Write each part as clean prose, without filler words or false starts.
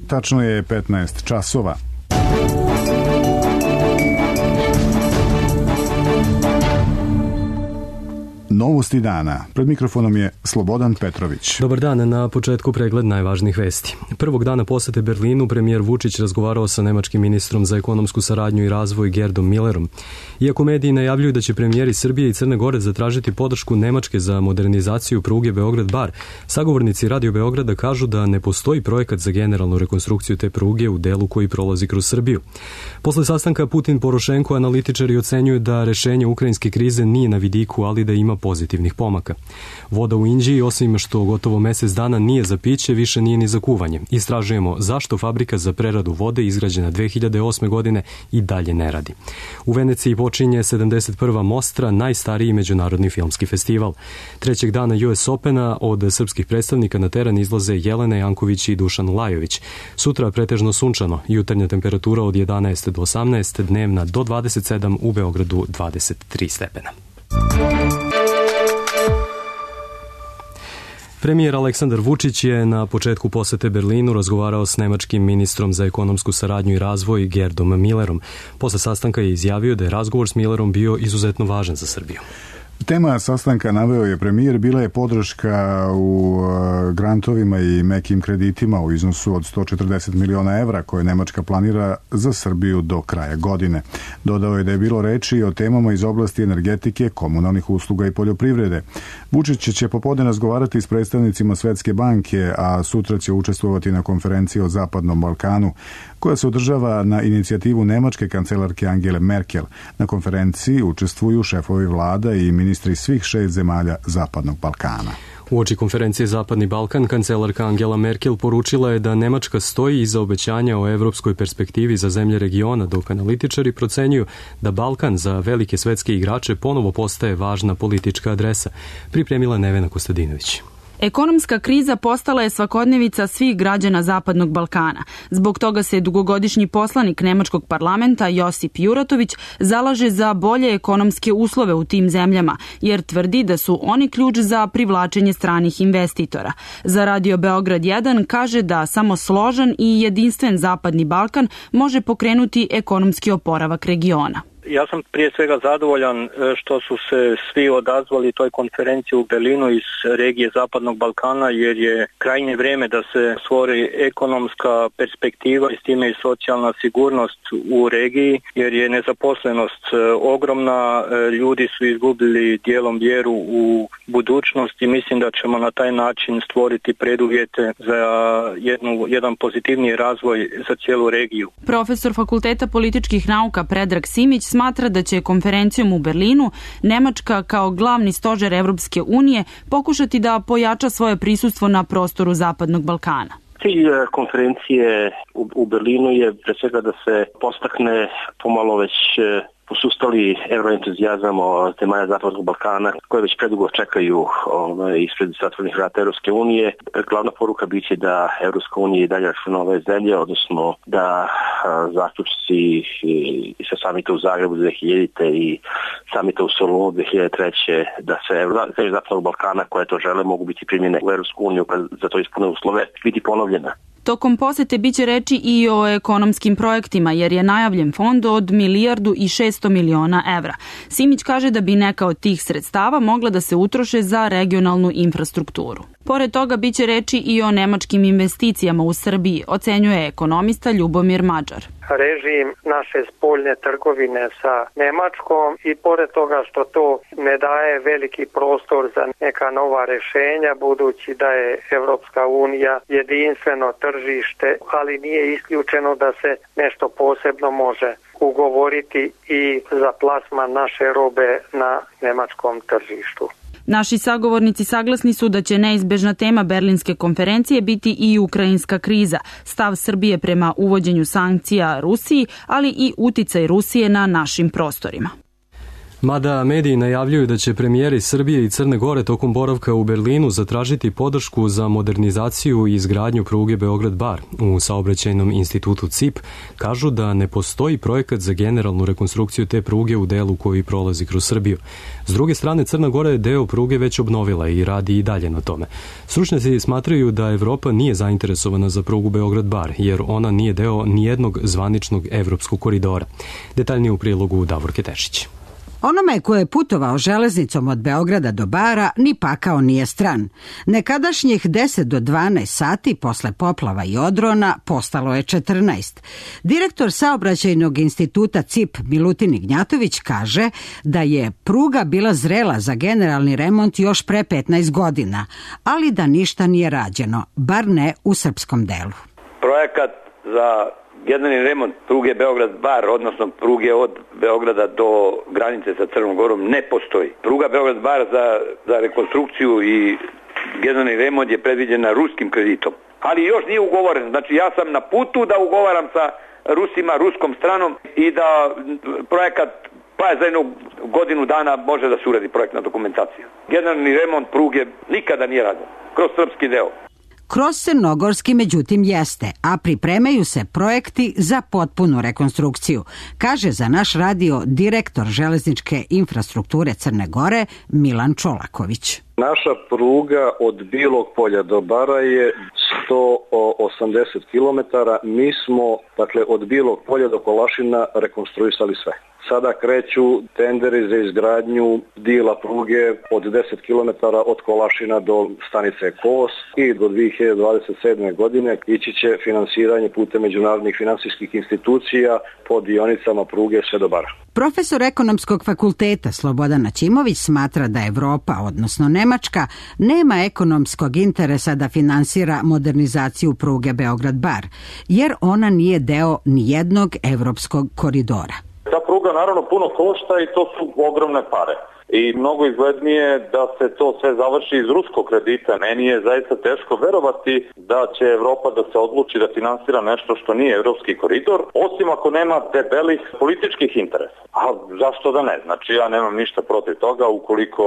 Tačno je 15 časova. Novosti dana. Pred mikrofonom je Slobodan Petrović. Dobar dan, na početku pregled najvažnijih vesti. Prvog dana posete Berlinu premijer Vučić razgovarao sa nemačkim ministrom za ekonomsku saradnju i razvoj Gerdom Millerom. Iako mediji najavljuju da će premijeri Srbije i Crne Gore zatražiti podršku Nemačke za modernizaciju pruge Beograd-Bar, sagovornici Radio Beograda kažu da ne postoji projekat za generalnu rekonstrukciju te pruge u delu koji prolazi kroz Srbiju. Posle sastanka Putin-Porošenko analitičari ocenjuju da rešenje ukrajinske krize nije na vidiku, ali da ima pozitivnih pomaka. Voda u Inđiji, osim što gotovo mesec dana nije za piće, više nije ni za kuvanje. Istražujemo zašto fabrika za preradu vode izgrađena 2008. godine i dalje ne radi. U Veneciji počinje 71. Mostra, najstariji međunarodni filmski festival. Trećeg dana US Opena od srpskih predstavnika na teren izlaze Jelena Janković i Dušan Lajović. Sutra pretežno sunčano, jutarnja temperatura od 11 do 18, dnevna do 27, u Beogradu 23 stepena. Premijer Aleksandar Vučić je na početku posete Berlinu razgovarao s nemačkim ministrom za ekonomsku saradnju i razvoj Gerdom Millerom. Posle sastanka je izjavio da je razgovor s Millerom bio izuzetno važan za Srbiju. Tema sastanka, naveo je premijer, bila je podrška u grantovima i mekim kreditima u iznosu od 140 miliona evra koje Nemačka planira za Srbiju do kraja godine. Dodao je da je bilo reči o temama iz oblasti energetike, komunalnih usluga i poljoprivrede. Vučić će popodne razgovarati s predstavnicima Svetske banke, a sutra će učestvovati na konferenciji o Zapadnom Balkanu, koja se održava na inicijativu nemačke kancelarke Angele Merkel. Na konferenciji učestvuju šefovi vlada i ministri svih 6 zemalja Zapadnog Balkana. Uoči konferencije Zapadni Balkan, kancelarka Angela Merkel poručila je da Nemačka stoji iza obećanja o evropskoj perspektivi za zemlje regiona, dok analitičari procenjuju da Balkan za velike svetske igrače ponovo postaje važna politička adresa. Pripremila Nevena Kostadinović. Ekonomska kriza postala je svakodnevica svih građana Zapadnog Balkana. Zbog toga se dugogodišnji poslanik nemačkog parlamenta Josip Juratović zalaže za bolje ekonomske uslove u tim zemljama, jer tvrdi da su oni ključ za privlačenje stranih investitora. Za Radio Beograd 1 kaže da samo složan i jedinstven Zapadni Balkan može pokrenuti ekonomski oporavak regiona. Ja sam prije svega zadovoljan što su se svi odazvali toj konferenciji u Berlinu iz regije Zapadnog Balkana, jer je krajnje vrijeme da se stvori ekonomska perspektiva i s time i socijalna sigurnost u regiji, jer je nezaposlenost ogromna, ljudi su izgubili dijelom vjeru u budućnost i mislim da ćemo na taj način stvoriti preduvjete za jedan pozitivniji razvoj za cijelu regiju. Profesor Fakulteta političkih nauka Predrag Simić smatra da će konferencijom u Berlinu Nemačka kao glavni stožer Evropske unije pokušati da pojača svoje prisustvo na prostoru Zapadnog Balkana. Cilj konferencije u Berlinu je pre svega da se postakne pomalo već posustali euroentuzijazam zemalja Zapadnog Balkana koje već predugo čekaju ispred zatvorenih vrata Europske unije. Glavna poruka biće da Europska unija i dalje računa ove zemlje, odnosno da zaključci sa samita u Zagrebu 2000. i samita u Solunu 2003. da se zemlje Zapadnog Balkana koje to žele mogu biti primjene u Europsku uniju kad za to ispune uslove biti ponovljena. Tokom posete biće reči i o ekonomskim projektima, jer je najavljen fond od 1,6 milijardi evra. Simić kaže da bi neka od tih sredstava mogla da se utroše za regionalnu infrastrukturu. Pored toga biće reči i o nemačkim investicijama u Srbiji, ocenjuje ekonomista Ljubomir Mađar. Režim naše spoljne trgovine sa Nemačkom i pored toga što to ne daje veliki prostor za neka nova rešenja, budući da je Evropska unija jedinstveno tržište, ali nije isključeno da se nešto posebno može ugovoriti i za plasman naše robe na nemačkom tržištu. Naši sagovornici saglasni su da će neizbežna tema Berlinske konferencije biti i ukrajinska kriza, stav Srbije prema uvođenju sankcija Rusiji, ali i uticaj Rusije na našim prostorima. Mada mediji najavljuju da će premijeri Srbije i Crne Gore tokom boravka u Berlinu zatražiti podršku za modernizaciju i izgradnju pruge Beograd-Bar, u saobraćajnom institutu CIP kažu da ne postoji projekat za generalnu rekonstrukciju te pruge u delu koji prolazi kroz Srbiju. S druge strane, Crna Gora je deo pruge već obnovila i radi i dalje na tome. Stručnjaci smatraju da Evropa nije zainteresovana za prugu Beograd-Bar, jer ona nije deo nijednog zvaničnog evropskog koridora. Detaljnije u prilogu Davorke Tešić. Onome ko je putovao železnicom od Beograda do Bara ni pakao nije stran. Nekadašnjih 10 do 12 sati posle poplava i odrona postalo je 14. Direktor saobraćajnog instituta CIP Milutin Ignjatović kaže da je pruga bila zrela za generalni remont još pre 15 godina, ali da ništa nije rađeno, bar ne u srpskom delu. Projekat za generalni remont pruge Beograd-Bar, odnosno pruge od Beograda do granice sa Crnom Gorom, ne postoji. Pruga Beograd-Bar za rekonstrukciju i generalni remont je predviđena ruskim kreditom. Ali još nije ugovoren. Znači ja sam na putu da ugovaram sa Rusima, ruskom stranom i da projekat pa za jednu godinu dana može da se uradi projektna dokumentacija. Generalni remont pruge nikada nije rađen kroz srpski deo. Kroz crnogorski međutim jeste, a pripremaju se projekti za potpunu rekonstrukciju, kaže za naš radio direktor železničke infrastrukture Crne Gore Milan Čolaković. Naša pruga od Bilog Polja do Bara je 180 km. Mi smo, od Bilog Polja do Kolašina rekonstruisali sve. Sada kreću tenderi za izgradnju dijela pruge od 10 km od Kolašina do stanice Kos i do 2027. godine ići će finansiranje putem međunarodnih finansijskih institucija po dionicama pruge sve do Bara. Profesor ekonomskog fakulteta Slobodan Načimović smatra da Evropa, odnosno Nemačka, nema ekonomskog interesa da finansira modernizaciju pruge Beograd-Bar, jer ona nije deo nijednog evropskog koridora. Ta pruga naravno puno košta i to su ogromne pare. I mnogo izglednije da se to sve završi iz ruskog kredita. Meni je zaista teško verovati da će Evropa da se odluči da finansira nešto što nije evropski koridor, osim ako nema debelih političkih interesa. A zašto da ne? Znači ja nemam ništa protiv toga ukoliko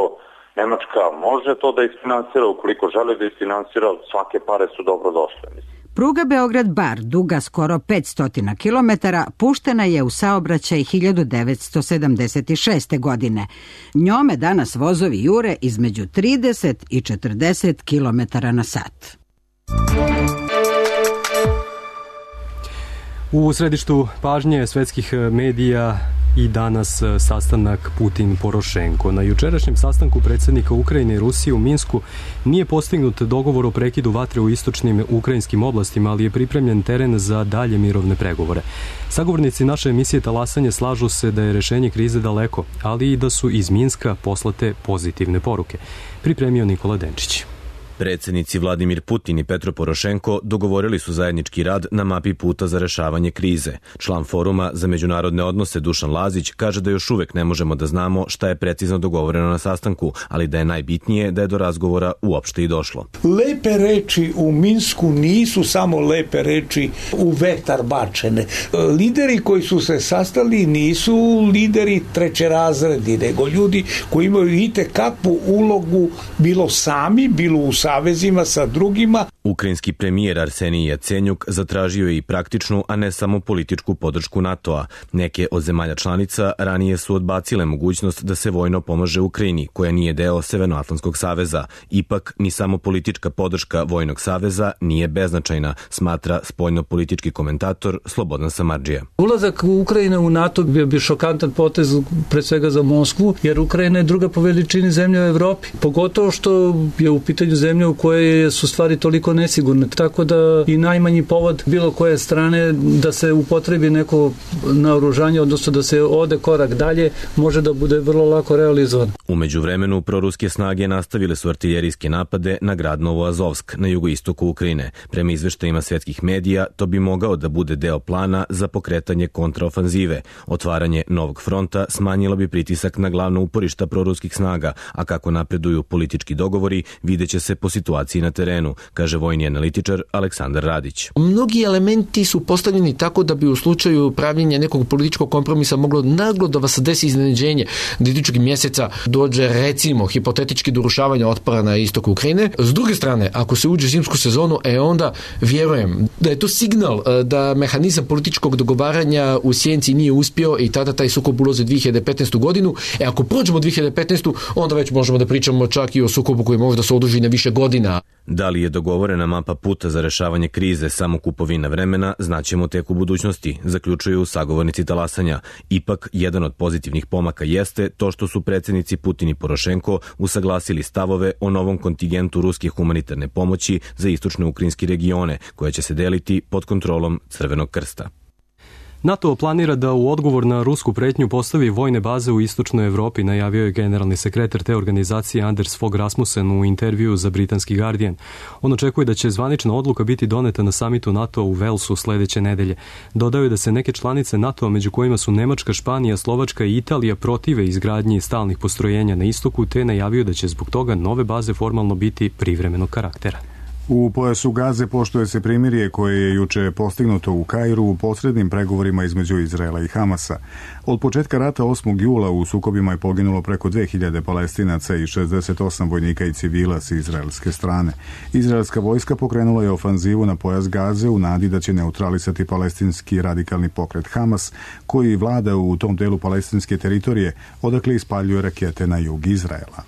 Nemačka može to da isfinansira, ukoliko želi da isfinansira, svake pare su dobro došle. Pruga Beograd-Bar, duga skoro 500 km, puštena je u saobraćaj 1976. godine. Njome danas vozovi jure između 30 i 40 km na sat. U središtu pažnje svetskih medija i danas sastanak Putin-Porošenko. Na jučerašnjem sastanku predsjednika Ukrajine i Rusije u Minsku nije postignut dogovor o prekidu vatre u istočnim ukrajinskim oblastima, ali je pripremljen teren za dalje mirovne pregovore. Sagovornici naše emisije Talasanje slažu se da je rešenje krize daleko, ali i da su iz Minska poslate pozitivne poruke. Pripremio Nikola Denčić. Predsjednici Vladimir Putin i Petro Porošenko dogovorili su zajednički rad na mapi puta za rešavanje krize. Član foruma za međunarodne odnose Dušan Lazić kaže da još uvek ne možemo da znamo šta je precizno dogovoreno na sastanku, ali da je najbitnije da je do razgovora uopšte i došlo. Lepe reči u Minsku nisu samo lepe reči u vetar bačene. Lideri koji su se sastali nisu lideri trećerazredni, nego ljudi koji imaju itekakvu ulogu bilo sami, bilo u savezima sa drugima. Ukrajinski premijer Arsenij Jacenjuk zatražio je i praktičnu, a ne samo političku podršku NATO-a. Neke od zemalja članica ranije su odbacile mogućnost da se vojno pomaže Ukrajini, koja nije deo Severnoatlantskog saveza. Ipak, ni samo politička podrška vojnog saveza nije beznačajna, smatra spoljno-politički komentator Slobodan Samardžija. Ulazak Ukrajine u NATO bio bi šokantan potez pre svega za Moskvu, jer Ukrajina je druga po veličini zemlja u Evropi. Pogotovo što je u pitanju zemlja u kojoj su stvari toliko nesigurne. Tako da i najmanji povod bilo koje strane da se upotrebi neko naoružanje, odnosno da se ode korak dalje, može da bude vrlo lako realizovan. U međuvremenu, proruske snage nastavile su artiljerijske napade na grad Novoazovsk na jugoistoku Ukrajine. Prema izveštajima svetskih medija, to bi mogao da bude deo plana za pokretanje kontraofanzive. Otvaranje novog fronta smanjilo bi pritisak na glavna uporišta proruskih snaga, a kako napreduju politički dogovori, videće se po situaciji na terenu, kaže vojni analitičar Aleksandar Radić. Mnogi elementi su postavljeni tako da bi u slučaju pravljenja nekog političkog kompromisa moglo naglo da vas desi iznenađenje da idućeg mjeseca dođe recimo hipotetički do urušavanja otpora na istoku Ukrajine. S druge strane, ako se uđe u zimsku sezonu, onda vjerujem da je to signal da mehanizam političkog dogovaranja u sjenci nije uspio i tada taj sukob ulazi 2015. godinu. Ako prođemo 2015. onda već možemo da pričamo čak i o sukobu koji može da se oduži na više godina. Da li je dogovorena mapa puta za rešavanje krize samo kupovina vremena, znaćemo tek u budućnosti, zaključuju sagovornici talasanja. Ipak, jedan od pozitivnih pomaka jeste to što su predsjednici Putin i Porošenko usaglasili stavove o novom kontingentu ruske humanitarne pomoći za istočne ukrajinske regione, koja će se deliti pod kontrolom Crvenog krsta. NATO planira da u odgovor na rusku pretnju postavi vojne baze u istočnoj Evropi, najavio je generalni sekretar te organizacije Anders Fogh Rasmussen u intervjuu za britanski Guardian. On očekuje da će zvanična odluka biti doneta na samitu NATO u Walesu sledeće nedelje. Dodao je da se neke članice NATO-a, među kojima su Nemačka, Španija, Slovačka i Italija, protive izgradnji stalnih postrojenja na istoku, te najavio da će zbog toga nove baze formalno biti privremenog karaktera. U pojasu Gaze poštuje se primirje koje je juče postignuto u Kairu u posrednim pregovorima između Izraela i Hamasa. Od početka rata 8. jula u sukobima je poginulo preko 2000 Palestinaca i 68 vojnika i civila s izraelske strane. Izraelska vojska pokrenula je ofanzivu na pojas Gaze u nadi da će neutralisati palestinski radikalni pokret Hamas, koji vlada u tom delu palestinske teritorije, odakle ispaljuje rakete na jug Izraela.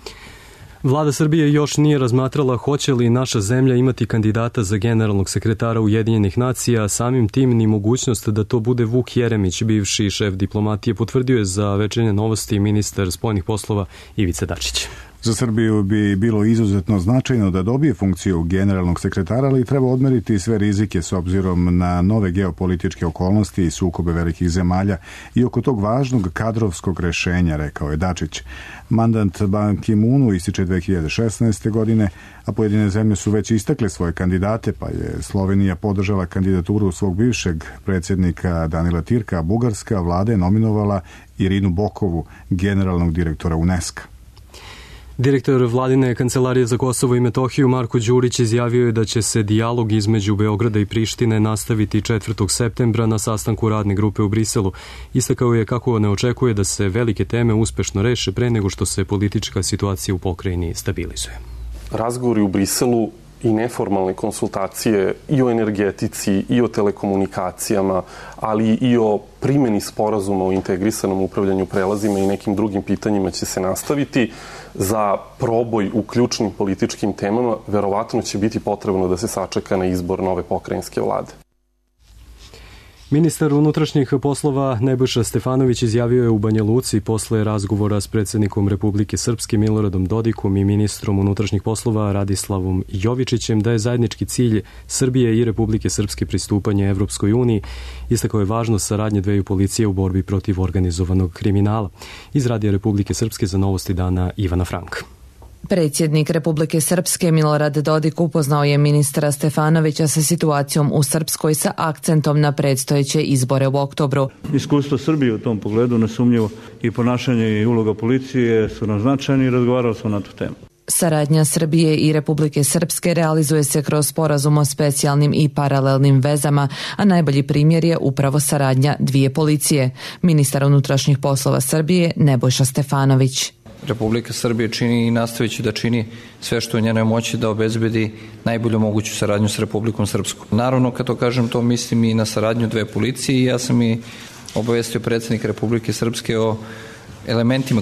Vlada Srbije još nije razmatrala hoće li naša zemlja imati kandidata za generalnog sekretara Ujedinjenih nacija, samim tim ni mogućnost da to bude Vuk Jeremić, bivši šef diplomatije, potvrdio je za Večernje novosti ministar spoljnih poslova Ivica Dačić. Za Srbiju bi bilo izuzetno značajno da dobije funkciju generalnog sekretara, ali treba odmeriti sve rizike s obzirom na nove geopolitičke okolnosti i sukobe velikih zemalja i oko tog važnog kadrovskog rešenja, rekao je Dačić. Mandat Ban Ki-moonu ističe 2016. godine, a pojedine zemlje su već istakle svoje kandidate, pa je Slovenija podržala kandidaturu svog bivšeg predsjednika Danila Tirka, a bugarska vlada je nominovala Irinu Bokovu, generalnog direktora UNESCO. Direktor vladine kancelarije za Kosovo i Metohiju Marko Đurić izjavio je da će se dijalog između Beograda i Prištine nastaviti 4. septembra na sastanku radne grupe u Briselu. Istakao je kako ne očekuje da se velike teme uspešno reše pre nego što se politička situacija u pokrajini stabilizuje. Razgovori u Briselu i neformalne konsultacije i o energetici i o telekomunikacijama, ali i o primjeni sporazuma o integrisanom upravljanju prelazima i nekim drugim pitanjima će se nastaviti. Za proboj u ključnim političkim temama verovatno će biti potrebno da se sačeka na izbor nove pokrajinske vlade. Ministar unutrašnjih poslova Nebojša Stefanović izjavio je u Banja Luci posle razgovora s predsjednikom Republike Srpske Miloradom Dodikom i ministrom unutrašnjih poslova Radislavom Jovičićem da je zajednički cilj Srbije i Republike Srpske pristupanje Evropskoj uniji. Istakao je važnost saradnje dveju policije u borbi protiv organizovanog kriminala. Iz Radija Republike Srpske za Novosti dana Ivana Frank. Predsjednik Republike Srpske Milorad Dodik upoznao je ministra Stefanovića sa situacijom u Srpskoj sa akcentom na predstojeće izbore u oktobru. Iskustvo Srbije u tom pogledu nesumnjivo i ponašanje i uloga policije su nam značajni i razgovarali smo na tu temu. Saradnja Srbije i Republike Srpske realizuje se kroz sporazum o specijalnim i paralelnim vezama, a najbolji primjer je upravo saradnja dvije policije. Ministar unutrašnjih poslova Srbije Nebojša Stefanović. Republika Srbije čini i nastavit će da čini sve što je u njenoj moći da obezbedi najbolju moguću saradnju s Republikom Srpskom. Naravno, kad to kažem, to mislim i na saradnju dve policije i ja sam i obavestio predsjednik Republike Srpske o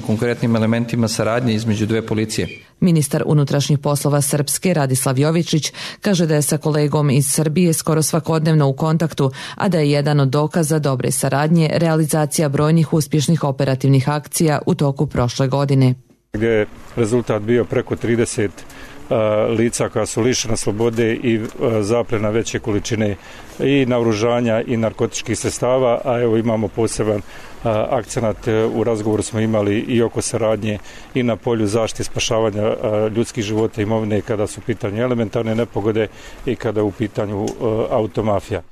konkretnim elementima saradnje između dve policije. Ministar unutrašnjih poslova Srpske Radislav Jovičić kaže da je sa kolegom iz Srbije skoro svakodnevno u kontaktu, a da je jedan od dokaza dobre saradnje realizacija brojnih uspješnih operativnih akcija u toku prošle godine. Gdje je rezultat bio preko 30 lica koja su lišena slobode i zaplena veće količine i naoružanja i narkotičkih sredstava, a evo imamo poseban akcenat, u razgovoru smo imali i oko saradnje i na polju zaštite spašavanja ljudskih života i imovine kada su u pitanju elementarne nepogode i kada je u pitanju automafija.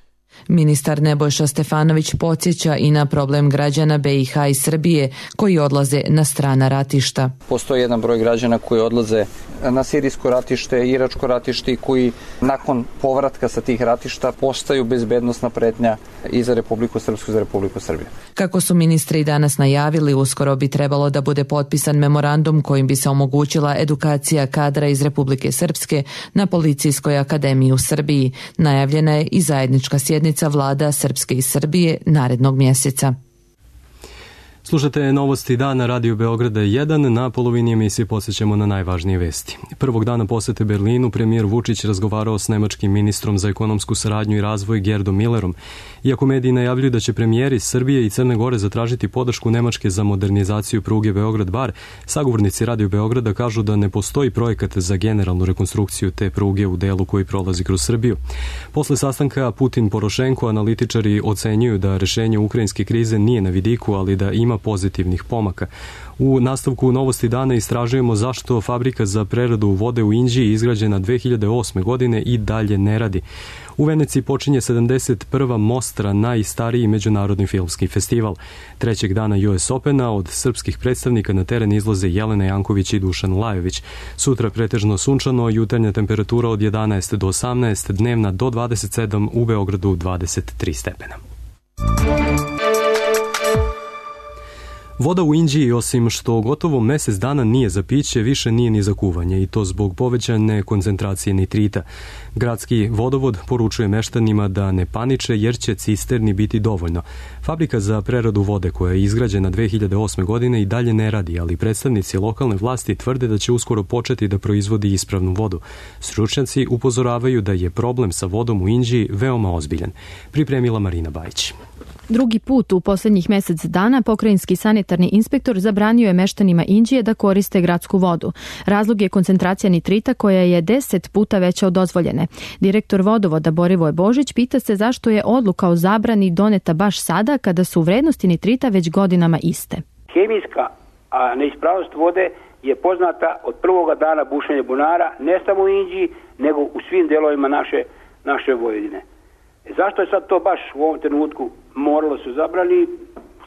Ministar Nebojša Stefanović podsjeća i na problem građana BiH i Srbije koji odlaze na strana ratišta. Postoji jedan broj građana koji odlaze na sirijsko ratište, iračko ratište i koji nakon povratka sa tih ratišta postaju bezbednosna pretnja i za Republiku Srpsku i za Republiku Srbiju. Kako su ministri danas najavili, uskoro bi trebalo da bude potpisan memorandum kojim bi se omogućila edukacija kadra iz Republike Srpske na Policijskoj akademiji u Srbiji. Najavljena je i zajednička sjednica vlada Srpske i Srbije narednog mjeseca. Slušate novosti dana Radio Beograda 1. Na polovini emisije podsjećamo na najvažnije vesti. Prvog dana posete Berlinu premijer Vučić razgovarao s nemačkim ministrom za ekonomsku saradnju i razvoj Gerdom Millerom. Iako mediji najavljuju da će premijeri Srbije i Crne Gore zatražiti podršku Nemačke za modernizaciju pruge Beograd-Bar, sagovornici Radio Beograda kažu da ne postoji projekat za generalnu rekonstrukciju te pruge u delu koji prolazi kroz Srbiju. Posle sastanka Putin-Porošenko analitičari ocenjuju da rešenje ukrajinske krize nije na vidiku, ali da ima pozitivnih pomaka. U nastavku novosti dana istražujemo zašto fabrika za preradu vode u Inđiji izgrađena 2008. godine i dalje ne radi. U Veneciji počinje 71. Mostra, najstariji međunarodni filmski festival. Trećeg dana US Opena od srpskih predstavnika na teren izlaze Jelena Janković i Dušan Lajović. Sutra pretežno sunčano, jutarnja temperatura od 11 do 18, dnevna do 27, u Beogradu 23 stepena. Voda u Inđiji, osim što gotovo mesec dana nije za piće, više nije ni za kuvanje, i to zbog povećane koncentracije nitrita. Gradski vodovod poručuje meštanima da ne paniče jer će cisterni biti dovoljno. Fabrika za preradu vode koja je izgrađena 2008. godine i dalje ne radi, ali predstavnici lokalne vlasti tvrde da će uskoro početi da proizvodi ispravnu vodu. Stručnjaci upozoravaju da je problem sa vodom u Inđiji veoma ozbiljan. Pripremila Marina Bajić. Drugi put u posljednjih mjesec dana pokrajinski sanitarni inspektor zabranio je meštanima Inđije da koriste gradsku vodu. Razlog je koncentracija nitrita koja je 10 puta veća od dozvoljene. Direktor vodovoda Borivoje Božić pita se zašto je odluka o zabrani doneta baš sada kada su vrednosti nitrita već godinama iste. Hemijska neispravnost vode je poznata od prvoga dana bušenja bunara, ne samo u Inđiji, nego u svim delovima naše Vojvodine. Zašto je sad to baš u ovom trenutku moralo se zabrani?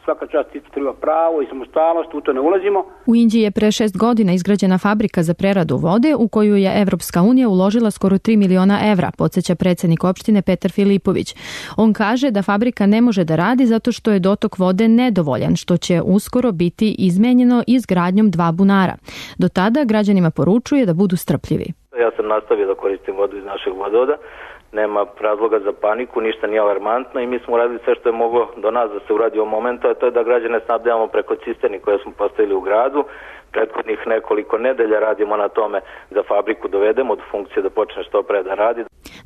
Svaka čast treba pravo i samostalnost, u to ne ulazimo. U Inđiji je pre 6 godina izgrađena fabrika za preradu vode u koju je Evropska unija uložila skoro 3 miliona evra, podsjeća predsjednik opštine Petar Filipović. On kaže da fabrika ne može da radi zato što je dotok vode nedovoljan, što će uskoro biti izmenjeno izgradnjom 2 bunara. Do tada građanima poručuje da budu strpljivi. Ja sam nastavio da koristim vodu iz našeg vodovoda. Nema razloga za paniku, ništa nije alarmantno i mi smo uradili sve što je moglo do nas da se uradi u momentu, a to je da građane snabdevamo preko cisterni koje smo postavili u gradu. Prethodnih nekoliko nedelja radimo na tome da fabriku dovedemo do funkcije da počne što pre da radi.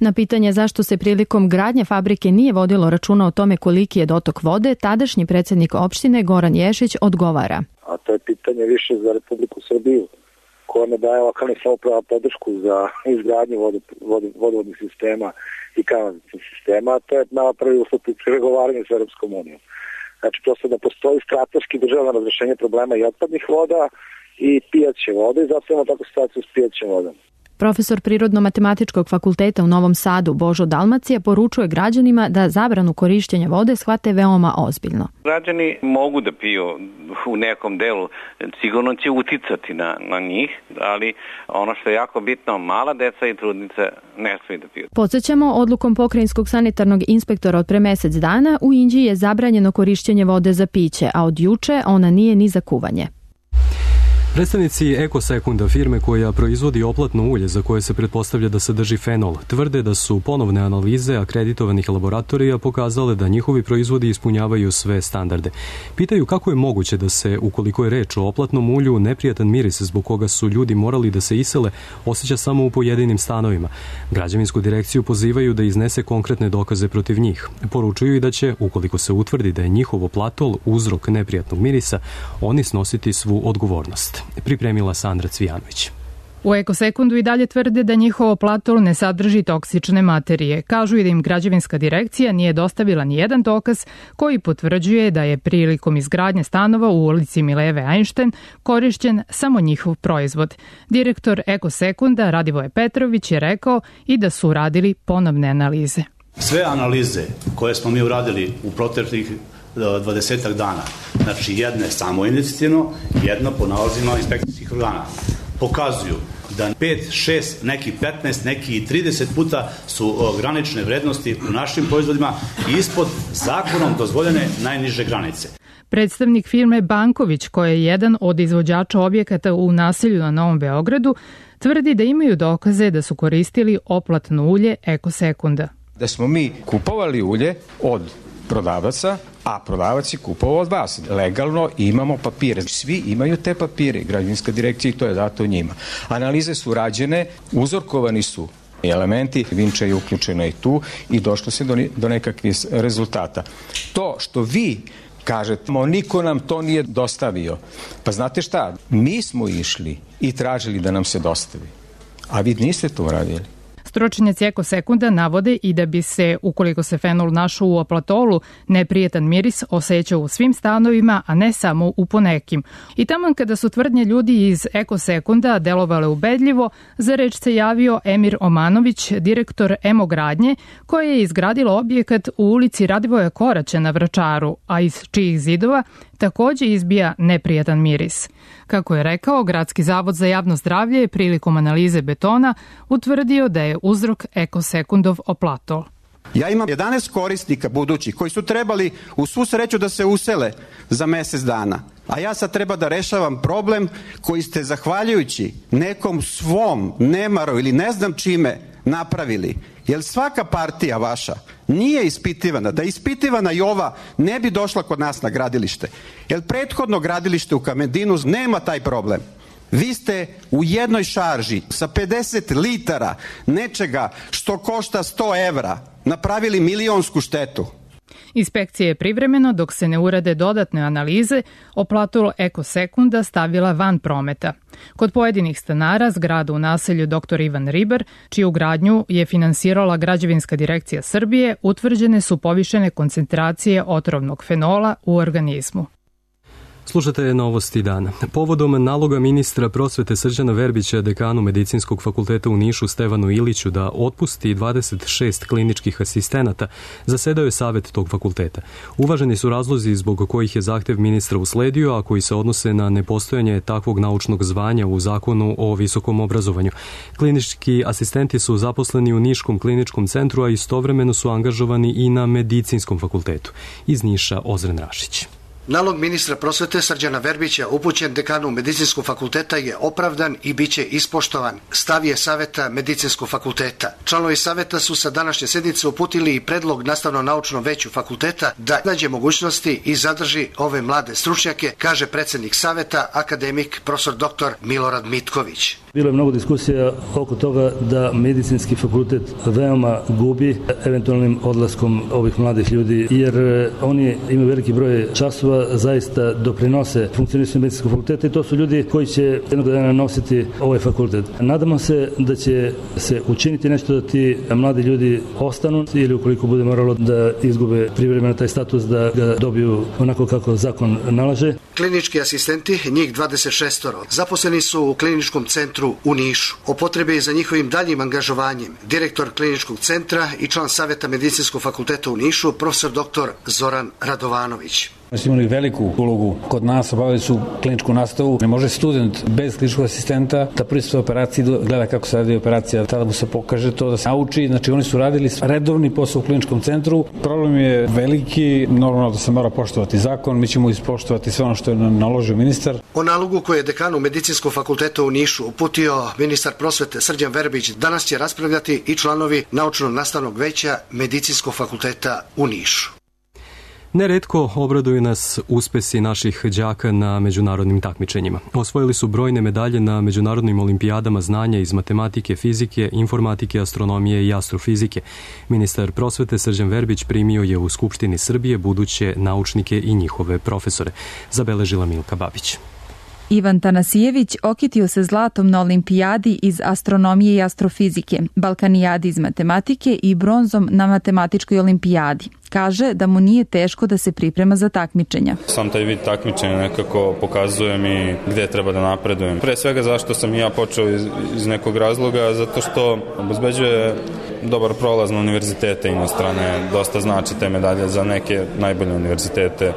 Na pitanje zašto se prilikom gradnje fabrike nije vodilo računa o tome koliki je dotok vode, tadašnji predsjednik opštine Goran Ješić odgovara. A to je pitanje više za Republiku Srbiju, koja ne daje lokalnih samouprava podršku za izgradnju vodovodnih sistema i kanalizacijskih sistema, a to je prvi uslov pri pregovaranju s Europskom unijom. Znači, prosto da postoji strateški državno razrešenje problema i otpadnih voda i pijaće vode i zato imamo takvu situaciju s pijaćem vodom. Profesor Prirodno-matematičkog fakulteta u Novom Sadu Božo Dalmacija poručuje građanima da zabranu korišćenja vode shvate veoma ozbiljno. Građani mogu da piju u nekom delu, sigurno će uticati na njih, ali ono što je jako bitno, mala deca i trudnice ne smiju da piju. Podsjećamo, odlukom pokrajinskog sanitarnog inspektora od pre mesec dana u Inđiji je zabranjeno korišćenje vode za piće, a od juče ona nije ni za kuvanje. Predstavnici Ekosekunda, firme koja proizvodi oplatno ulje za koje se pretpostavlja da sadrži fenol, tvrde da su ponovne analize akreditovanih laboratorija pokazale da njihovi proizvodi ispunjavaju sve standarde. Pitaju kako je moguće da se, ukoliko je reč o oplatnom ulju, neprijatan miris zbog koga su ljudi morali da se isele, osjeća samo u pojedinim stanovima. Građevinsku direkciju pozivaju da iznese konkretne dokaze protiv njih. Poručuju i da će, ukoliko se utvrdi da je njihov oplatol uzrok neprijatnog mirisa, oni snositi svu odgovornost. Pripremila Sandra Cvijanović. U Ekosekundu i dalje tvrde da njihov oplatol ne sadrži toksične materije. Kažu i da im građevinska direkcija nije dostavila ni jedan dokaz koji potvrđuje da je prilikom izgradnje stanova u ulici Mileve Einstein korišćen samo njihov proizvod. Direktor Ekosekunda Radivoje Petrović je rekao i da su uradili ponovne analize. Sve analize koje smo mi uradili u proteklih 20 dana, znači jedne samo inicijativno, jedno po nalazima inspekcijskih organa, pokazuju da 5, 6, neki 15, neki 30 puta su granične vrednosti u našim proizvodima ispod zakonom dozvoljene najniže granice. Predstavnik firme Banković, koja je jedan od izvođača objekata u naselju na Novom Beogradu, tvrdi da imaju dokaze da su koristili oplatno ulje Ekosekunda. Da smo mi kupovali ulje od prodavaca, a prodavac je kupovao od vas. Legalno imamo papire. Svi imaju te papire. Građevinska direkcija i to je dato njima. Analize su rađene, uzorkovani su elementi, Vinča je uključena i tu i došlo se do nekakvih rezultata. To što vi kažete, niko nam to nije dostavio. Pa znate šta, mi smo išli i tražili da nam se dostavi, a vi niste to uradili. Stručnjaci Ekosekunda navode i da bi se, ukoliko se fenol našao u oplatolu, neprijetan miris osjećao u svim stanovima, a ne samo u ponekim. I taman kada su tvrdnje ljudi iz Ekosekunda delovale ubedljivo, za reč se javio Emir Omanović, direktor Emogradnje, koja je izgradila objekat u ulici Radivoja Koraća na Vračaru, a iz čijih zidova takođe izbija neprijatan miris. Kako je rekao, Gradski zavod za javno zdravlje je prilikom analize betona utvrdio da je uzrok Ekosekundov oplatol. Ja imam 11 korisnika budućih koji su trebali u svu sreću da se usele za mesec dana. A ja sad treba da rešavam problem koji ste zahvaljujući nekom svom nemaru ili ne znam čime napravili. Jer svaka partija vaša nije ispitivana. Da je ispitivana i ova ne bi došla kod nas na gradilište. Jer prethodno gradilište u Kamendinu nema taj problem. Vi ste u jednoj šarži sa 50 litara nečega što košta 100 evra napravili milionsku štetu. Inspekcija je privremeno, dok se ne urade dodatne analize, oplatol Ekosekunda stavila van prometa. Kod pojedinih stanara zgrada u naselju Dr. Ivan Ribar, čiju gradnju je finansirala Građevinska direkcija Srbije, utvrđene su povišene koncentracije otrovnog fenola u organizmu. Slušate novosti dana. Povodom naloga ministra prosvete Srđana Verbića, dekanu Medicinskog fakulteta u Nišu Stevanu Iliću, da otpusti 26 kliničkih asistenata, zasedao je savet tog fakulteta. Uvaženi su razlozi zbog kojih je zahtev ministra usledio, a koji se odnose na nepostojanje takvog naučnog zvanja u zakonu o visokom obrazovanju. Klinički asistenti su zaposleni u Niškom kliničkom centru, a istovremeno su angažovani i na Medicinskom fakultetu. Iz Niša Ozren Rašić. Nalog ministra prosvete Srđana Verbića upućen dekanu Medicinskog fakulteta je opravdan i biće ispoštovan. Stav je saveta Medicinskog fakulteta. Članovi saveta su sa današnje sednice uputili i predlog nastavno-naučnom veću fakulteta da nađe mogućnosti i zadrži ove mlade stručnjake, kaže predsednik saveta, akademik profesor dr. Milorad Mitković. Bilo je mnogo diskusija oko toga da medicinski fakultet veoma gubi eventualnim odlaskom ovih mladih ljudi, jer oni imaju veliki broj časova, zaista doprinose funkcionisanju medicinskog fakulteta i to su ljudi koji će jednog dana nositi ovaj fakultet. Nadamo se da će se učiniti nešto da ti mladi ljudi ostanu ili ukoliko bude moralo da izgube privremeno taj status da ga dobiju onako kako zakon nalaže. Klinički asistenti, njih 26, zaposleni su u kliničkom centru u Nišu. O potrebi za njihovim daljim angažovanjem direktor kliničkog centra i član saveta Medicinskog fakulteta u Nišu, profesor dr. Zoran Radovanović. Oni su imali veliku ulogu kod nas, obavili su kliničku nastavu. Ne može student bez kliničkog asistenta da pristupi operaciji, gleda kako se radi operacija, tada mu se pokaže to da se nauči. Znači oni su radili redovni posao u kliničkom centru. Problem je veliki, normalno da se mora poštovati zakon, mi ćemo ispoštovati sve ono što je naložio ministar. O nalogu koje je dekanu Medicinskog fakulteta u Nišu uputio ministar prosvete Srđan Verbić danas će raspravljati i članovi naučno-nastavnog veća Medicinskog fakulteta u Nišu. Neretko obraduju nas uspesi naših đaka na međunarodnim takmičenjima. Osvojili su brojne medalje na međunarodnim olimpijadama znanja iz matematike, fizike, informatike, astronomije i astrofizike. Ministar prosvete Srđan Verbić primio je u Skupštini Srbije buduće naučnike i njihove profesore. Zabeležila Milka Babić. Ivan Tanasijević okitio se zlatom na olimpijadi iz astronomije i astrofizike, balkanijadi iz matematike i bronzom na matematičkoj olimpijadi. Kaže da mu nije teško da se priprema za takmičenja. Sam taj vid takmičenja nekako pokazuje mi gde treba da napredujem. Pre svega zašto sam i ja počeo iz nekog razloga, zato što obezbeđuje dobar prolaz na univerzitete inostrane, dosta znači te medalje za neke najbolje univerzitete.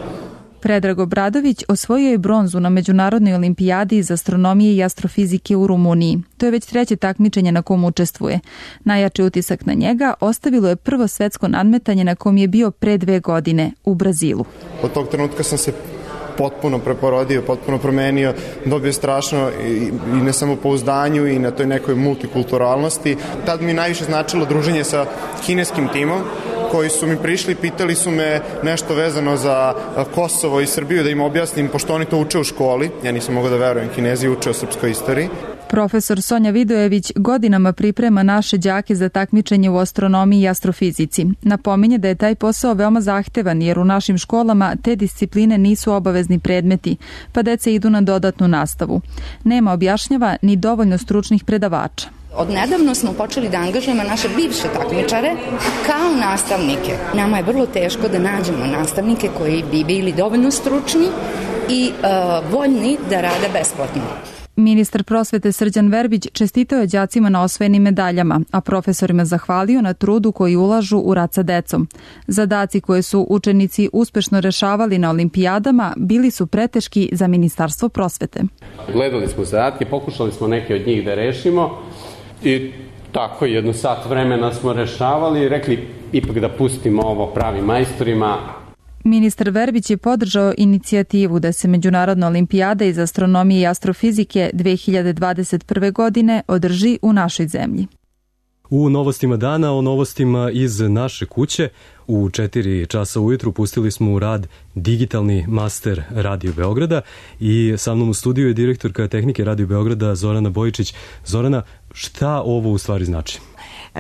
Predrag Obradović osvojio je bronzu na Međunarodnoj olimpijadi iz astronomije i astrofizike u Rumuniji. To je već 3. takmičenje na kom učestvuje. Najjači utisak na njega ostavilo je prvo svetsko nadmetanje na kom je bio pre 2 godine u Brazilu. Od tog trenutka sam se potpuno preporodio, potpuno promenio, dobio strašno i na samopouzdanju i na toj nekoj multikulturalnosti. Tad mi najviše značilo druženje sa kineskim timom, koji su mi prišli, pitali su me nešto vezano za Kosovo i Srbiju, da im objasnim, pošto oni to uče u školi. Ja nisam mogao da verujem, Kinezi uče o srpskoj istoriji. Profesor Sonja Vidojević godinama priprema naše đake za takmičenje u astronomiji i astrofizici. Napominje da je taj posao veoma zahtevan jer u našim školama te discipline nisu obavezni predmeti, pa deca idu na dodatnu nastavu. Nema, objašnjava, ni dovoljno stručnih predavača. Odnedavno smo počeli da angažujemo naše bivše takmičare kao nastavnike. Nama je vrlo teško da nađemo nastavnike koji bi bili dovoljno stručni i voljni da rade besplatno. Ministar prosvete Srđan Verbić čestitao je đacima na osvojenim medaljama, a profesorima zahvalio na trudu koji ulažu u rad sa decom. Zadaci koje su učenici uspešno rešavali na olimpijadama bili su preteški za Ministarstvo prosvete. Gledali smo zadatke, pokušali smo neke od njih da rešimo i tako 1 sat vremena smo rešavali i rekli ipak da pustimo ovo pravim majstorima. Ministar Verbić je podržao inicijativu da se Međunarodna olimpijada iz astronomije i astrofizike 2021. godine održi u našoj zemlji. U novostima dana, o novostima iz naše kuće, u 4 časa ujutru pustili smo u rad digitalni master Radio Beograda i sa mnom u studiju je direktorka tehnike Radio Beograda Zorana Bojičić. Zorana, šta ovo u stvari znači?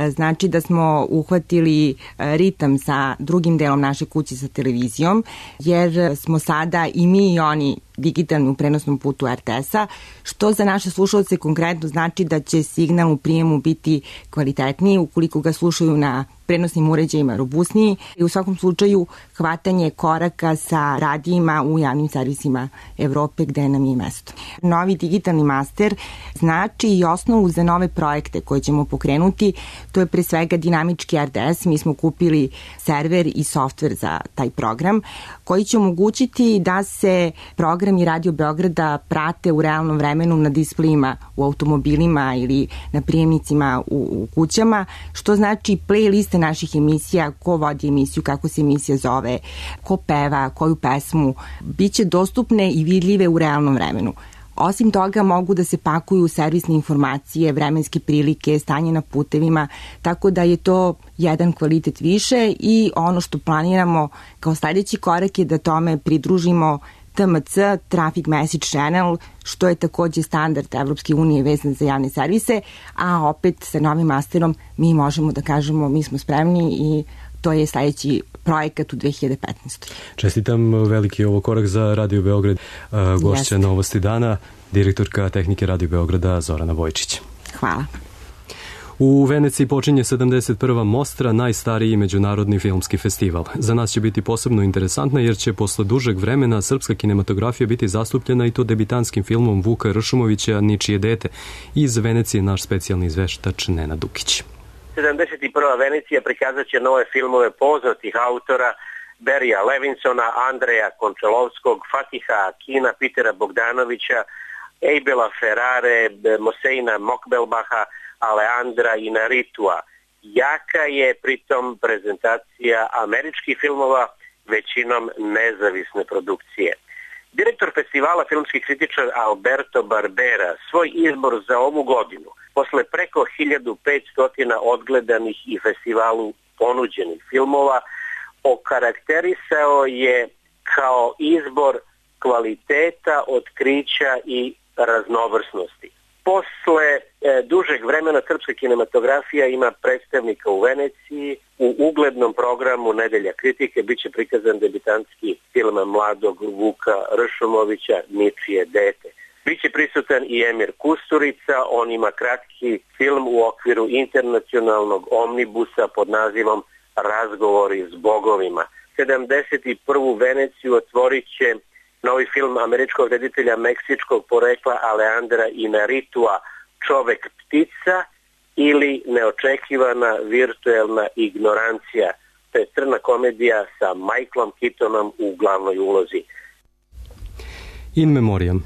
Znači da smo uhvatili ritam sa drugim delom naše kuće sa televizijom, jer smo sada i mi i oni digitalni u prenosnom putu RTS-a, što za naše slušalce konkretno znači da će signal u prijemu biti kvalitetniji ukoliko ga slušaju na prenosnim uređajima robusniji i u svakom slučaju hvatanje koraka sa radijima u javnim servisima Evrope gde nam je mesto. Novi digitalni master znači i osnovu za nove projekte koje ćemo pokrenuti. To je pre svega dinamički RTS. Mi smo kupili server i softver za taj program koji će omogućiti da se programi Radio Beograda prate u realnom vremenu na displejima u automobilima ili na prijemnicima u kućama, što znači playliste naših emisija, ko vodi emisiju, kako se emisija zove, ko peva, koju pesmu, biće dostupne i vidljive u realnom vremenu. Osim toga mogu da se pakuju servisne informacije, vremenske prilike, stanje na putevima, tako da je to jedan kvalitet više i ono što planiramo kao sledeći korak je da tome pridružimo TMC, Traffic Message Channel, što je takođe standard Evropske unije vezan za javne servise, a opet sa novim masterom mi možemo da kažemo mi smo spremni i to je sledeći projekat u 2015. Čestitam, veliki ovo korak za Radio Beograd. Gošća Novosti dana, direktorka tehnike Radio Beograda Zorana Bojičić. Hvala. U Veneciji počinje 71. Mostra, najstariji međunarodni filmski festival. Za nas će biti posebno interesantna jer će posle dužeg vremena srpska kinematografija biti zastupljena i to debitanskim filmom Vuka Ršumovića Ničije dete. Iz Venecije naš specijalni izveštač Nenad Dukić. 71. Venecija prikazat će nove filmove poznatih autora Berija Levinsona, Andreja Končelovskog, Fatiha Akina, Pitera Bogdanovića, Eibela Ferrare, Moseina Mokbelbaha, Aleandra Inaritua. Jaka je pritom prezentacija američkih filmova, većinom nezavisne produkcije. Direktor festivala, filmski kritičar Alberto Barbera, svoj izbor za ovu godinu, posle preko 1500 odgledanih i festivalu ponuđenih filmova, okarakterisao je kao izbor kvaliteta, otkrića i raznovrsnosti. Posle dužeg vremena srpska kinematografija ima predstavnika u Veneciji. U uglednom programu Nedelja kritike biće prikazan debitantski film mladog Vuka Ršumovića Ničije dete. Biće prisutan i Emir Kusturica, on ima kratki film u okviru internacionalnog omnibusa pod nazivom Razgovori s bogovima. 71. Veneciju otvorit će novi film američkog reditelja meksičkog porekla Alejandra Inarritua Čovek ptica ili Neočekivana virtuelna ignorancija. To je crna komedija sa Michaelom Keatonom u glavnoj ulozi. In memoriam.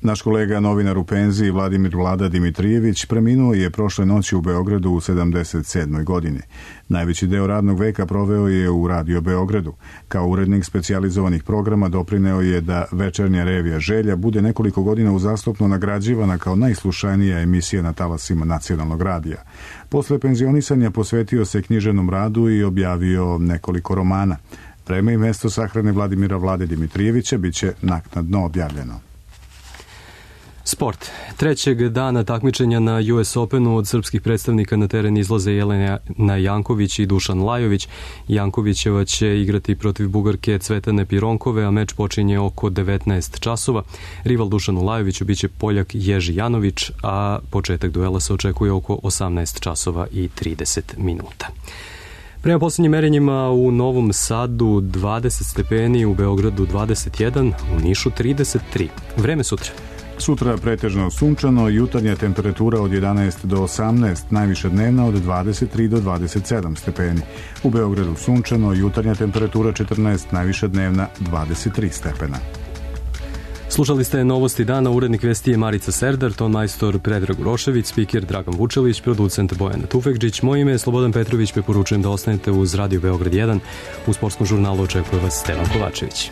Naš kolega, novinar u penziji Vladimir Vlada Dimitrijević preminuo je prošle noći u Beogradu u 77. godini. Najveći deo radnog veka proveo je u Radio Beogradu. Kao urednik specijalizovanih programa doprineo je da večernja revija Želja bude nekoliko godina uzastopno nagrađivana kao najslušanija emisija na talasima nacionalnog radija. Posle penzionisanja posvetio se književnom radu i objavio nekoliko romana. Vreme i mesto sahrane Vladimira Vlade Dimitrijevića biće naknadno objavljeno. Sport. Trećeg dana takmičenja na US Openu od srpskih predstavnika na teren izlaze Jelena Janković i Dušan Lajović. Jankovićeva će igrati protiv Bugarke Cvetane Pironkove, a meč počinje oko 19 časova. Rival Dušanu Lajoviću biće Poljak Ježi Janović, a početak duela se očekuje oko 18 časova i 30 minuta. Prema posljednjim merenjima u Novom Sadu 20 stepeni, u Beogradu 21, u Nišu 33. Vreme sutra. Sutra pretežno sunčano, jutarnja temperatura od 11 do 18, najviša dnevna od 23 do 27 stepeni. U Beogradu sunčano, jutarnja temperatura 14, najviša dnevna 23 stepena. Slušali ste Novosti dana, urednik vesti je Marica Serdar, ton majstor Predrag Urošević, spiker Dragan Vučelić, producent Bojana Tufekđić. Moje ime je Slobodan Petrović, preporučujem da ostanete uz Radio Beograd 1. U sportskom žurnalu očekuje vas Stevan Kovačević.